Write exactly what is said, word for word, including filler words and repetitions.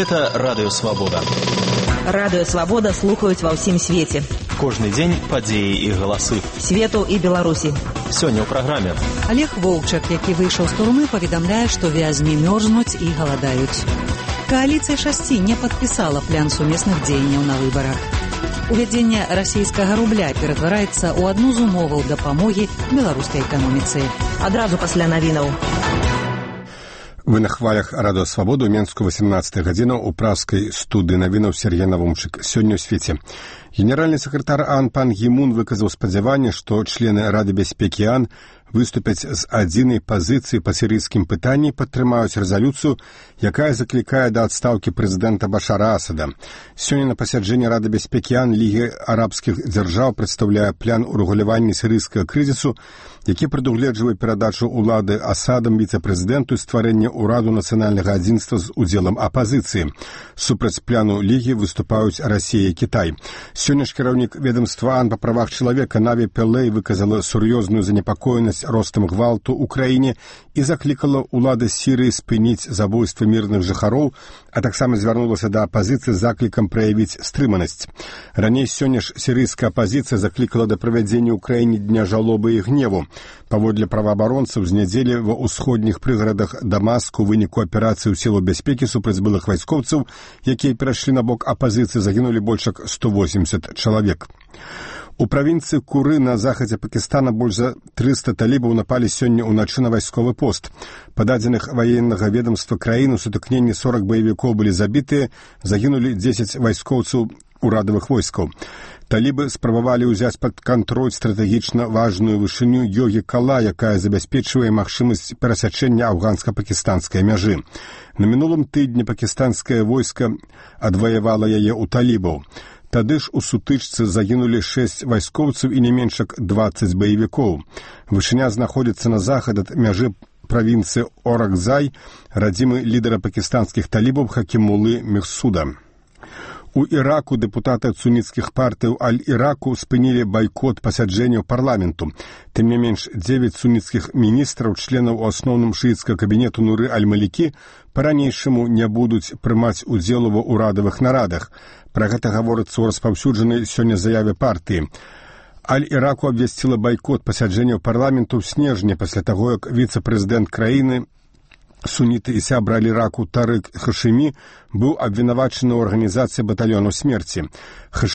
Гэта Радыё Свабода. Радыё Свабода слухаюць ва ўсім свеце. Кожны дзень падзеі і галасы. Свету і Беларусі. Сёння ў праграме. Олег Воўчак, які выйшаў з турмы, паведамляе, што вязні мёрзнуць і галадаюць. Коаліцыя шасці не падпісала план сумесных дзеянняў на выбарах. Увядзенне расійскага рубля ператвараецца ў адну з умоваў дапамогі беларускай эканоміцы. Адразу пасля навінаў. Вы на хвалях Радыё Свабода, у Менску восемнадцатая гадзіна, у пражскай студыі навінаў Сергей Навумчык. Сёння ў свеце. Генеральны сакратар ААН пан Гі Мун выказаў спадзяванне, што члены Рады бяспекі ААН выступяць з адзінай пазіцыі па сірыйскім пытанні і падтрымаюць рэзалюцыю, якая заклікае да адстаўкі прэзідэнта Башара Асада. Сёння на пасяджэнні Рады бяспекі ААН Лігі арабскіх дзяржаў прадстаўляе план урэгулявання сірыйскага крызісу, які прадугледжвае перадачу ўлады Асадам віцэ-прэзідэнту і стварэнне ўраду нацыянальнага адзінства з удзелам апазіцыі. Супраць плану Лігі выступаюць Расія і Кітай. Сёння ж кіраўнік ведомства ААН па правах чалавека Наві Пелей выказала сур'ёзную занепакоенасць ростам гвалту ў краіне і заклікала ўлады Сірыі спыніць забойствы мірных жыхароў, а таксама звярнулася да апазіцыі з заклікам праявіць стрыманасць. Раней сёння ж сірыйская апазіцыя заклікала да правядзення ў краіне дня жалобы і гневу. Паводле праваабаронцаў, з нядзелі ва ўсходніх прыгарадах Дамаску у выніку аперацыі ў сілу бяспекі супраць былых вайскоўцаў, якія перайшлі на бок апазіцыі, загінулі больш як сто восемьдесят чалавек. У правінцыі Куры на захадзе Пакістана больш за трыста талібаў напалі сёння ўначы на вайсковы пост. Па дадзеных ваеннага ведомства краіны ў сутыкненні сорок баевікоў былі забітыя, загінулі дзесяць вайскоўцаў урадавых войскаў. Талібы спрабавалі ўзяць пад кантроль стратэгічна важную вышыню Йогі-Кала, якая забяспечвае магчымасць перасячэння афганска-пакістанскай мяжы. На мінулым тыдні пакістанскае войска адваявала яе ў талібаў. Тады ж у сутычцы загінулі шэсць вайскоўцаў і не менш як дваццаць баевікоў. Вышыня знаходзіцца на захад ад мяжы правінцыі Оракзай, радзімы лідара пакістанскіх талібаў Хакімулы Мехсуда. У Іраку дэпутаты суніцкіх партыяў Аль-Іраку спынілі байкот пасяджэнняў парламенту. Тым не менш, дзевяць суніцкіх міністраў, членаў у асноўным шыіцкага кабінету Нуры Аль-Малікі, па-ранейшаму не будуць прымаць удзел ва ўрадавых нарадах. Пра гэта гаворыцца ў распаўсюджанай сёння заяве партыі. Аль-Іраку абвясціла байкот пасяджэнняў парламенту ў снежні пасля таго, як віцэ-прэзідэнт краіны суніты і сябра Аль-Іраку Тарык Хашымі быў абвінавачаны ў арганізацыі батальёну смерці.